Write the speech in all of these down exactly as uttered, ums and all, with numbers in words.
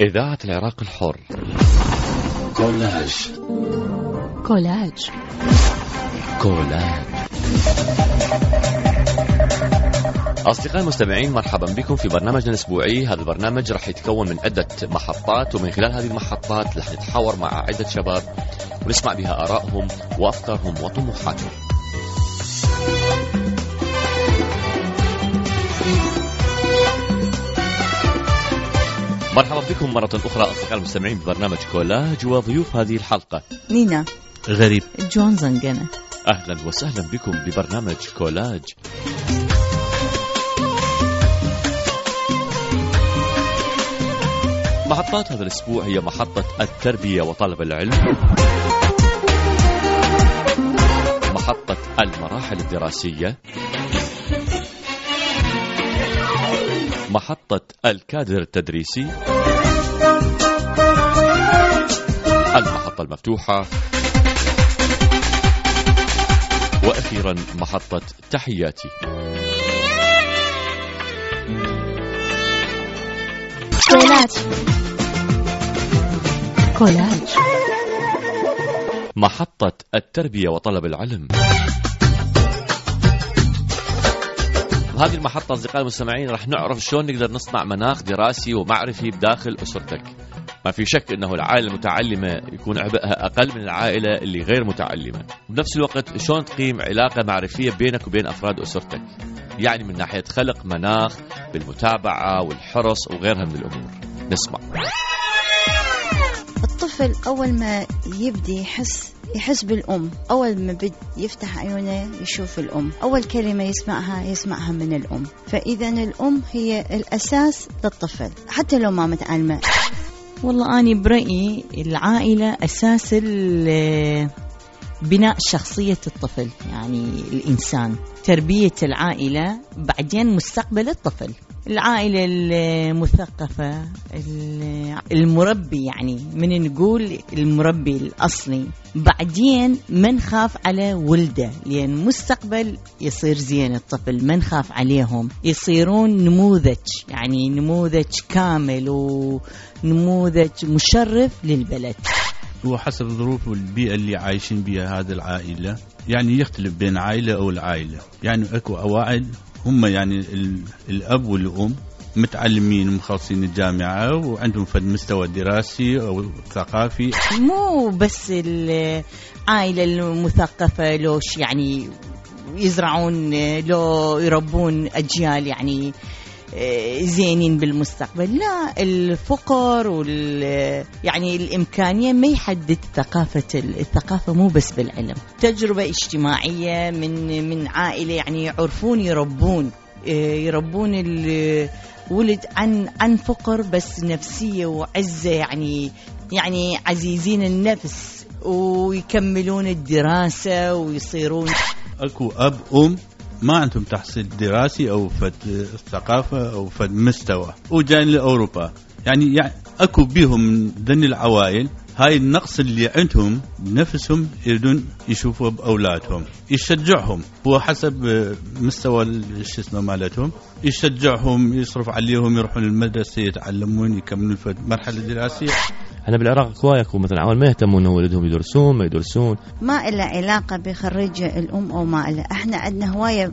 إذاعة العراق الحر. كولاج. كولاج. كولاج. أصدقائي المستمعين، مرحبا بكم في برنامجنا الأسبوعي. هذا البرنامج راح يتكون من عدة محطات، ومن خلال هذه المحطات راح نتحاور مع عدة شباب ونسمع بها آرائهم وأفكارهم وطموحاتهم. مرحبا بكم مرة أخرى أصدقائي المستمعين ببرنامج كولاج، وضيوف هذه الحلقة نينا غريب جون زنقنة. أهلا وسهلا بكم ببرنامج كولاج. محطات هذا الأسبوع هي محطة التربية وطلب العلم، محطة المراحل الدراسية، محطة الكادر التدريسي، المحطة المفتوحة، وأخيرا محطة تحياتي. كولاج. كولاج. محطة التربية وطلب العلم. بهذه المحطة أصدقائي المستمعين راح نعرف شلون نقدر نصنع مناخ دراسي ومعرفي بداخل أسرتك. ما في شك أنه العائلة المتعلمة يكون عبئها أقل من العائلة اللي غير متعلمة. بنفس الوقت شلون تقيم علاقة معرفية بينك وبين أفراد أسرتك، يعني من ناحية خلق مناخ بالمتابعة والحرص وغيرها من الأمور. نسمع. الطفل أول ما يبدي يحس يحس بالأم، أول ما بد يفتح عيونه يشوف الأم، أول كلمة يسمعها يسمعها من الأم. فإذا الأم هي الأساس للطفل حتى لو ما متعلمة. والله أنا برأيي العائلة أساس بناء شخصية الطفل، يعني الإنسان. تربية العائلة بعدين مستقبل الطفل. العائلة المثقفة، المربي، يعني من نقول المربي الأصلي، بعدين ما نخاف على ولده، لأن مستقبل يصير زين الطفل، ما نخاف عليهم، يصيرون نموذج، يعني نموذج كامل ونموذج مشرف للبلد. وحسب الظروف والبيئة اللي عايشين بها هذه العائلة، يعني يختلف بين عائلة أو العائلة. يعني أكو عوائل هم يعني الأب والأم متعلمين ومخلصين الجامعة وعندهم في المستوى الدراسي أو الثقافي. مو بس العائلة المثقفة لوش يعني يزرعون لو يربون أجيال يعني زينين بالمستقبل، لا، الفقر وال يعني الإمكانية ما يحدد ثقافة. الثقافة مو بس بالعلم، تجربة اجتماعية من من عائلة يعني يعرفون يربون يربون الولد عن عن فقر بس نفسية وعزة، يعني يعني عزيزين النفس ويكملون الدراسة ويصيرون. أكو أب أم ما عندهم تحصيل دراسي أو فد ثقافة أو فد مستوى وجاين لأوروبا، يعني, يعني أكو بيهم ذن العوائل هاي النقص اللي عندهم نفسهم يريدون يشوفوا بأولادهم، يشجعهم هو حسب مستوى شو اسمه مالتهم، يشجعهم، يصرف عليهم، يروحون المدرسة يتعلمون يكملون في مرحلة دراسية. احنا بالعراق كوايكو مثلا عوال ما يهتمون ولدهم يدرسون ما يدرسون، ما إلا علاقة بخريج الأم أو ما إلا. احنا عندنا هواية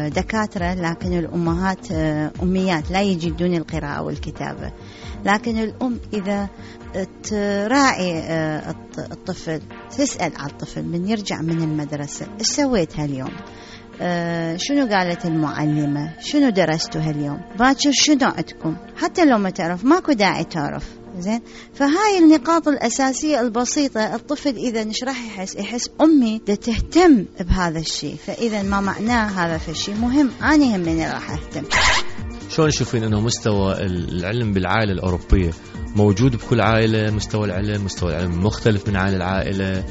دكاترة لكن الأمهات أميات لا يجدون القراءة والكتابة. لكن الأم إذا تراعي الطفل، تسأل على الطفل من يرجع من المدرسة، إيش سويت هاليوم؟ آه شنو قالت المعلمة؟ شنو درستوا هاليوم؟ باكر شنو عندكم؟ حتى لو ما تعرف ماكو داعي تعرف. زين، فهاي النقاط الأساسية البسيطة. الطفل إذا نش راح يحس يحس أمي دا تهتم بهذا الشيء، فإذا ما معناه هذا الشيء مهم، أنا همني راح أهتم. شلون تشوفين أنه مستوى العلم بالعائلة الأوروبية موجود بكل عائلة؟ مستوى العلم مستوى العلم مختلف من عائلة لعائلة؟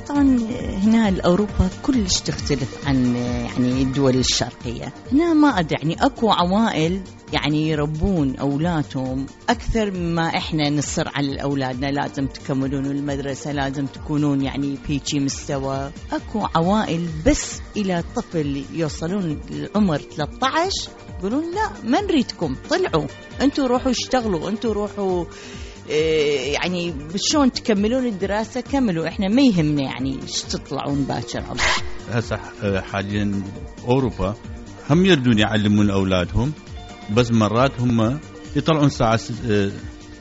طبعا هنا الأوروبا كلش تختلف عن يعني الدول الشرقية. هنا ما أدري، يعني أكو عوائل يعني يربون أولادهم أكثر مما إحنا نصر على أولادنا لازم تكملون المدرسة، لازم تكونون يعني بيجي مستوى. أكو عوائل بس إلى طفل يوصلون لعمر ثلاثة عشر يقولون لا ما نريدكم، طلعوا أنتوا روحوا اشتغلوا، أنتوا روحوا إيه يعني شلون تكملون الدراسة كملوا، إحنا ما يهمنا يعني ايش تطلعون باكر. هسه حاليا أوروبا هم يردون يعلمون أولادهم، بس مرات هم يطلعون الساعة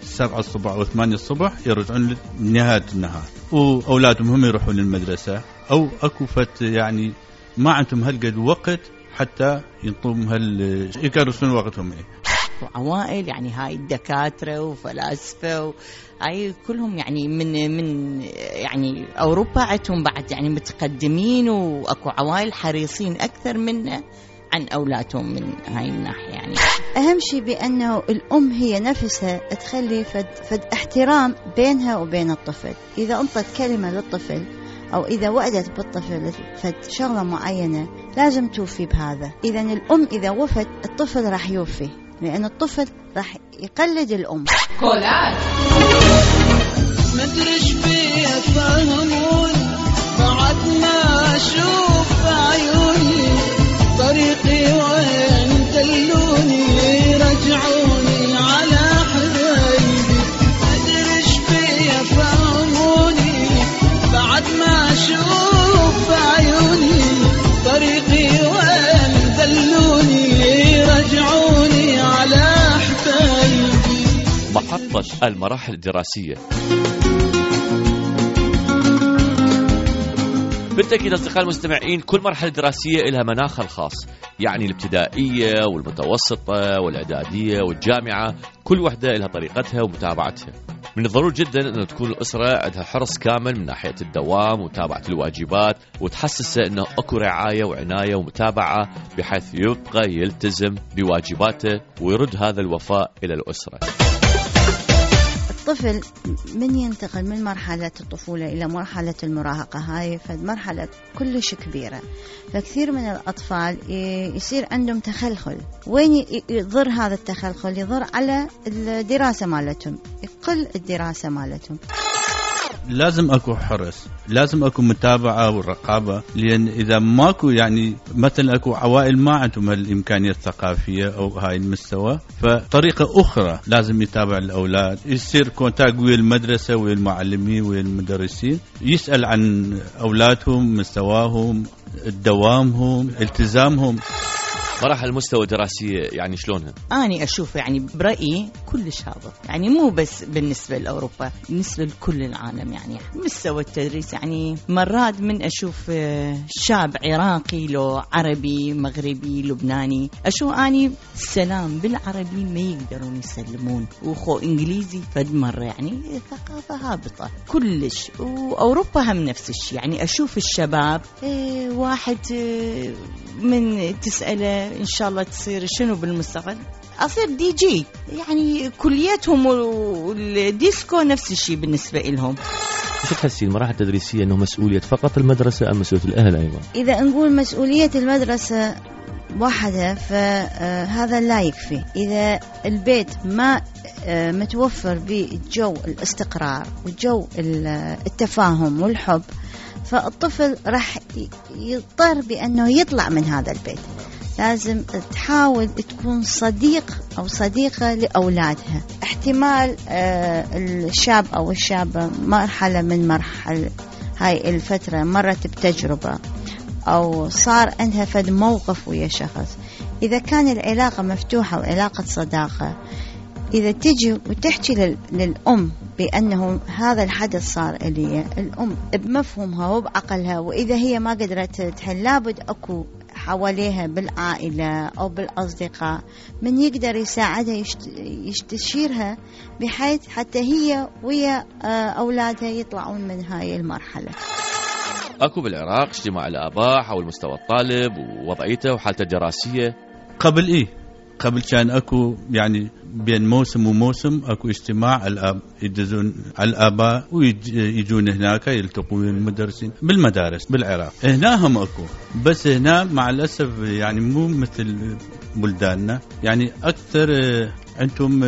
سبعة الصبح أو ثمانية الصبح يرجعون نهاية النهار، وأولادهم هم يروحون للمدرسة، أو أكو فت يعني ما عندهم هالقد وقت حتى ينطون هال يكرسون وقتهم. وعوائل يعني هاي الدكاترة وفلاسفة هاي كلهم يعني من من يعني أوروبا عندهم بعد يعني متقدمين، وأكو عوائل حريصين أكثر منا عن أولادهم من هاي الناحية. يعني أهم شيء بأنه الأم هي نفسها تخلي فد, فد احترام بينها وبين الطفل. إذا أنطت كلمة للطفل أو إذا وعدت بالطفل فد شغلة معينة لازم توفي بهذا. إذا الأم إذا وفت الطفل راح يوفي، لأن الطفل راح يقلد الأم. كولات مدرش بيه فهمون بعد ما أشوف عيوني طريقي وين دلوني رجعوني على حبايبي. مدرش بيه فهموني بعد ما أشوف عيوني طريقي وين دلوني رجعوني على حبايبي. محطة المراحل الدراسية. بالتأكيد أصدقائي المستمعين كل مرحلة دراسية لها مناخها الخاص، يعني الابتدائية والمتوسطة والإعدادية والجامعة كل وحدة لها طريقتها ومتابعتها. من الضروري جدا أن تكون الأسرة عندها حرص كامل من ناحية الدوام ومتابعة الواجبات، وتحسسه أنه أكو رعاية وعناية ومتابعة بحيث يبقى يلتزم بواجباته ويرد هذا الوفاء إلى الأسرة. الطفل من ينتقل من مرحلة الطفولة إلى مرحلة المراهقة، هاي فمرحلة كلش كبيرة، فكثير من الأطفال يصير عندهم تخلخل. وين يضر هذا التخلخل؟ يضر على الدراسة مالتهم، يقل الدراسة مالتهم. لازم أكو حرص، لازم أكو متابعة والرقابة، لأن إذا ماكو يعني مثلا أكو عوائل ما عندهم الإمكانية الثقافية أو هاي المستوى، فطريقة أخرى لازم يتابع الأولاد، يصير كونتاكت ويا المدرسة ويا المعلمين ويا المدرسين، يسأل عن أولادهم، مستواهم، دوامهم، التزامهم. مراحل المستوى الدراسية يعني شلونها؟ أنا أشوف يعني برأيي كلش هذا، يعني مو بس بالنسبة لأوروبا، بالنسبة لكل العالم. يعني مستوى التدريس يعني مرات من أشوف شاب عراقي لو عربي مغربي لبناني، أشوف أني السلام بالعربي ما يقدرون يسلمون، وخو إنجليزي فد مرة يعني ثقافة هابطة كلش. وأوروبا هم نفس الشيء، يعني أشوف الشباب إيه واحد إيه من تسأله إن شاء الله تصير شنو بالمستقبل، أصير دي جي، يعني كلياتهم والديسكو نفس الشيء بالنسبة لهم. شو تحسين المراحل التدريسية أنه مسؤولية فقط المدرسة أم مسؤولية الأهل أيضا؟ إذا نقول مسؤولية المدرسة وحدها فهذا لا يكفي. إذا البيت ما متوفر بالجو الاستقرار وجو التفاهم والحب، فالطفل راح يضطر بأنه يطلع من هذا البيت. لازم تحاول تكون صديق أو صديقة لأولادها. احتمال الشاب أو الشابة مرحلة من مرحلة هاي الفترة مرت بتجربة أو صار عندها فد موقف ويا شخص، إذا كان العلاقة مفتوحة وعلاقة صداقة، إذا تجي وتحكي للأم بأنه هذا الحدث صار إلي، الأم بمفهومها وبعقلها، وإذا هي ما قدرت تحل لابد أكو حواليها بالعائلة أو بالأصدقاء من يقدر يساعدها يستشيرها بحيث حتى هي ويا أولادها يطلعون من هاي المرحلة. أكو بالعراق اجتماع الآباء حول مستوى الطالب ووضعيته وحالته الدراسية قبل إيه قبل كان اكو يعني بين موسم وموسم اكو اجتماع الاب يدزون على الاباء ويجون هناك يلتقون المدرسين بالمدارس بالعراق. هنا هم اكو، بس هنا مع الاسف يعني مو مثل بلداننا، يعني اكثر انتم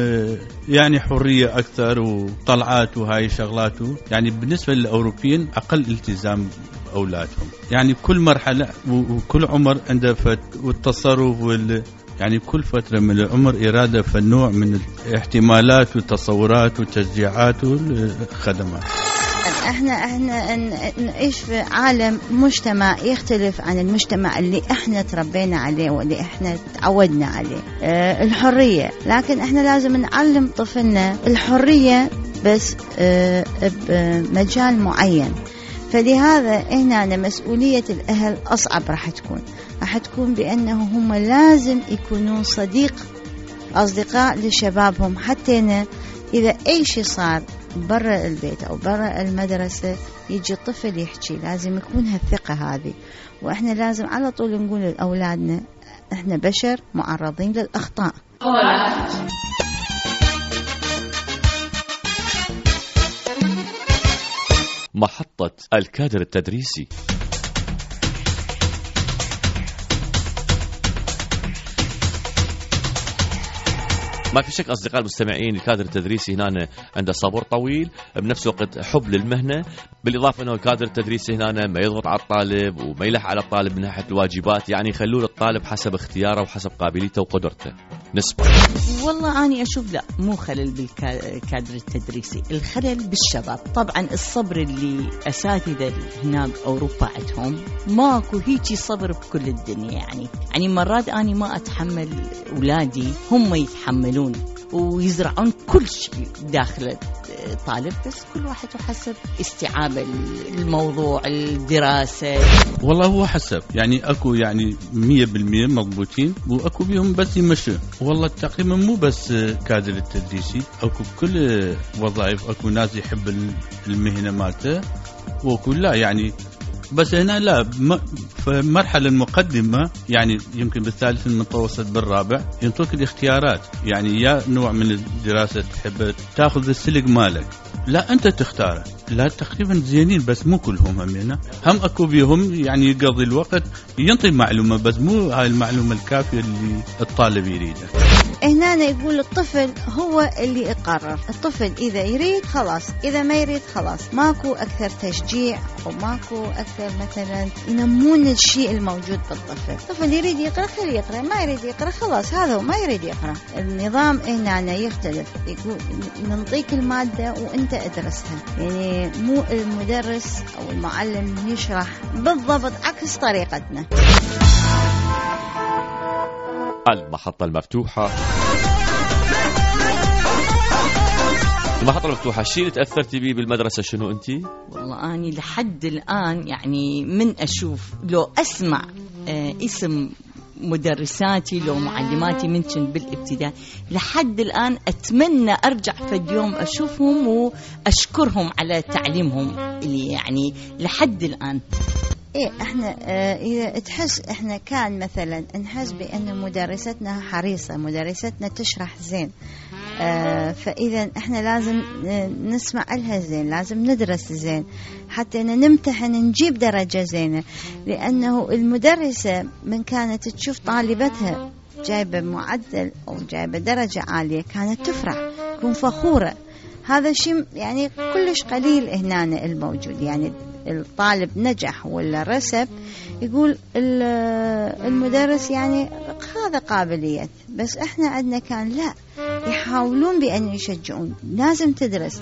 يعني حريه اكثر وطلعات وهاي شغلات، يعني بالنسبه للاوروبيين اقل التزام اولادهم، يعني كل مرحله وكل عمر عنده فت والتصرف وال يعني كل فترة من العمر إرادة فالنوع من الاحتمالات والتصورات والتشجيعات والخدمات. احنا احنا نعيش في عالم مجتمع يختلف عن المجتمع اللي احنا تربينا عليه واللي احنا تعودنا عليه. اه الحرية، لكن احنا لازم نعلم طفلنا الحرية بس اه بمجال معين. فلهذا هنا مسؤولية الأهل أصعب راح تكون راح تكون بأنه هم لازم يكونون صديق أصدقاء لشبابهم، حتى إن إذا أي شيء صار برا البيت أو برا المدرسة يجي الطفل يحكي، لازم يكون هالثقة هذه. وإحنا لازم على طول نقول لأولادنا إحنا بشر معرضين للأخطاء. محطة الكادر التدريسي. ما في شك أصدقاء المستمعين الكادر التدريسي هنا عنده صبر طويل، بنفس الوقت حب للمهنة، بالإضافة أنه الكادر التدريسي هنا ما يضغط على الطالب وما يلح على الطالب من ناحية الواجبات، يعني يخلون الطالب حسب اختياره وحسب قابليته وقدرته. نسبة والله أنا أشوف لا، مو خلل بالكادر التدريسي، الخلل بالشباب. طبعا الصبر اللي أساتذة هنا بأوروبا عندهم ماكو هيجي صبر بكل الدنيا. يعني يعني مرات أنا ما أتحمل أولادي، هم يتحملون ويزرعون كل شيء داخل طالب، بس كل واحد حسب استيعاب الموضوع الدراسة. والله هو حسب، يعني أكو يعني مية بالمية مضبوطين وأكو بيهم بس يمشوا. والله تقريبا مو بس كادر التدريسي، أكو كل وظائف، أكو ناس يحب المهنة مالته وأكو لا. يعني بس هنا لا، في المرحلة المقدمة يعني يمكن بالثالث المتوسط بالرابع ينطوك الاختيارات، يعني يا نوع من الدراسة تحب تاخذ السلق مالك، لا أنت تختاره. لا تقريبا زينين بس مو كلهم هم هنا، هم أكو بيهم يعني يقضي الوقت ينطي معلومة بس مو هاي المعلومة الكافية اللي الطالب يريدها. هنا يقول الطفل هو اللي يقرر، الطفل إذا يريد خلاص، إذا ما يريد خلاص. ماكو أكثر تشجيع وماكو أكثر مثلا ينمون الشيء الموجود بالطفل. الطفل يريد يقرأ خليه يقرأ، ما يريد يقرأ خلاص هذا هو، ما يريد يقرأ. النظام هنا يختلف، يقول ننطيك المادة وأنت أدرسها، يعني مو المدرس أو المعلم يشرح بالضبط عكس طريقتنا. المحطة المفتوحة. المحطة المفتوحة، الشيء اللي تأثرتي به بالمدرسة شنو أنتي؟ والله أنا لحد الآن يعني من أشوف لو أسمع آه اسم مدرساتي لو معلماتي منشن بالابتدائي، لحد الآن أتمنى أرجع في اليوم أشوفهم وأشكرهم على تعليمهم اللي يعني لحد الآن. إيه إحنا آه إذا تحس إحنا كان مثلا نحس بأن مدرستنا حريصة، مدرستنا تشرح زين، آه فإذا إحنا لازم نسمع لها زين، لازم ندرس زين حتى نمتحن نجيب درجة زينة. لأنه المدرسة من كانت تشوف طالبتها جايبة معدل أو جايبة درجة عالية كانت تفرح، تكون فخورة. هذا الشيء يعني كلش قليل هنا الموجود. يعني الطالب نجح ولا رسب يقول المدرس يعني هذا قابلية، بس احنا عندنا كان لا، يحاولون بأن يشجعون لازم تدرس.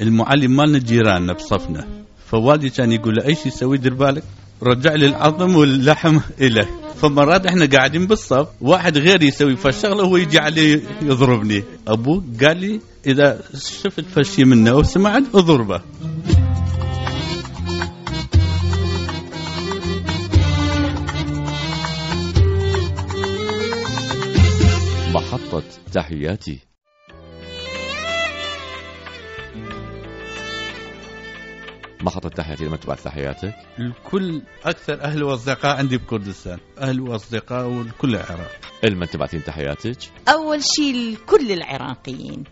المعلم مالنا جيراننا بصفنا، فوالدي كان يقول له أي شيء يسوي دير بالك، رجع لي العظم واللحم إله. فمرات احنا قاعدين بالصف واحد غير يسوي فالشغله هو يجي عليه يضربني. أبوه قال لي إذا شفت فشي منه أو سمعت اضربه. محطة تحياتي. ما خطر تحياتي لما تبعث تحياتك؟ الكل أكثر أهل وأصدقاء عندي بكردستان، أهل وأصدقاء وكل العراق. لمن تبعثين تحياتك؟ أول شيء لكل العراقيين،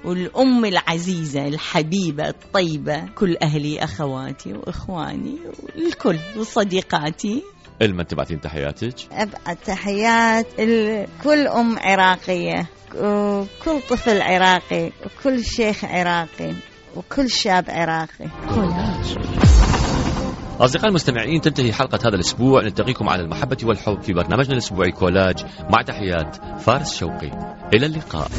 والأم العزيزة الحبيبة الطيبة، كل أهلي أخواتي وإخواني والكل وصديقاتي. لمن تبعثين تحياتك؟ أبعث تحيات لكل أم عراقية وكل طفل عراقي وكل شيخ عراقي وكل شاب عراقي. كولاج. أصدقائي المستمعين، تنتهي حلقة هذا الأسبوع. نلتقيكم على المحبة والحب في برنامجنا الأسبوعي كولاج، مع تحيات فارس شوقي. إلى اللقاء.